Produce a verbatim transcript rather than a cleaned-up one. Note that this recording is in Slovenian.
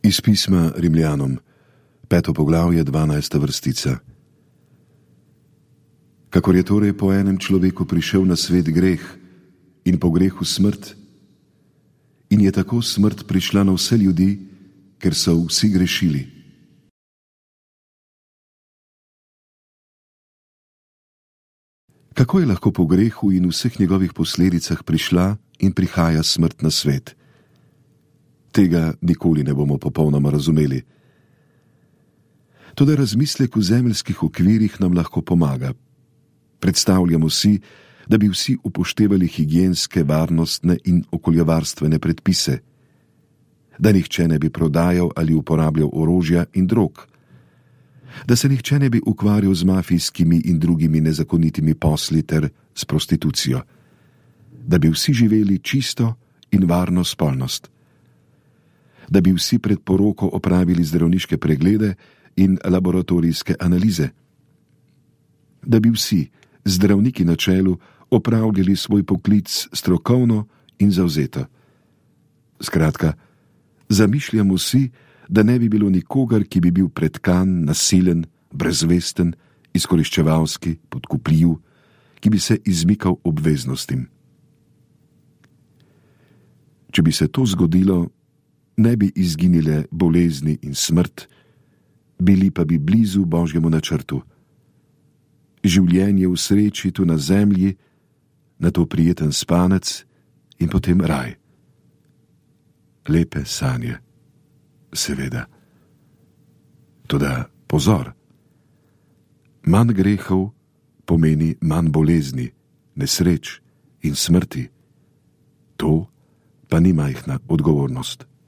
Iz pisma Rimljanom, peto poglavje, dvanajsta vrstica. Kakor je torej po enem človeku prišel na svet greh in po grehu smrt, in je tako smrt prišla na vse ljudi, ker so vsi grešili. Kako je lahko po grehu in vseh njegovih posledicah prišla in prihaja smrt na svet? Tega nikoli ne bomo popolnoma razumeli. Toda razmislek v zemeljskih okvirih nam lahko pomaga. Predstavljamo si, da bi vsi upoštevali higienske, varnostne in okoljevarstvene predpise, da nihče ne bi prodajal ali uporabljal orožja in drog, da se nihče ne bi ukvarjal z mafijskimi in drugimi nezakonitimi posli ter s prostitucijo, da bi vsi živeli čisto in varno spolnost, da bi vsi pred poroko opravili zdravniške preglede in laboratorijske analize, da bi vsi, zdravniki na čelu, opravljali svoj poklic strokovno in zavzeto. Skratka, zamišljamo si, da ne bi bilo nikogar, ki bi bil pretkan, nasilen, brezvesten, izkoriščevalski, podkupljiv, ki bi se izmikal obveznostim. Če bi se to zgodilo, ne bi izginile bolezni in smrt, bili pa bi blizu Božjemu načrtu. Življenje v sreči tu na zemlji, nato prijeten spanec in potem raj. Lepe sanje, seveda. Toda pozor, manj grehov pomeni manj bolezni, nesreč in smrti. To pa ni majhna odgovornost.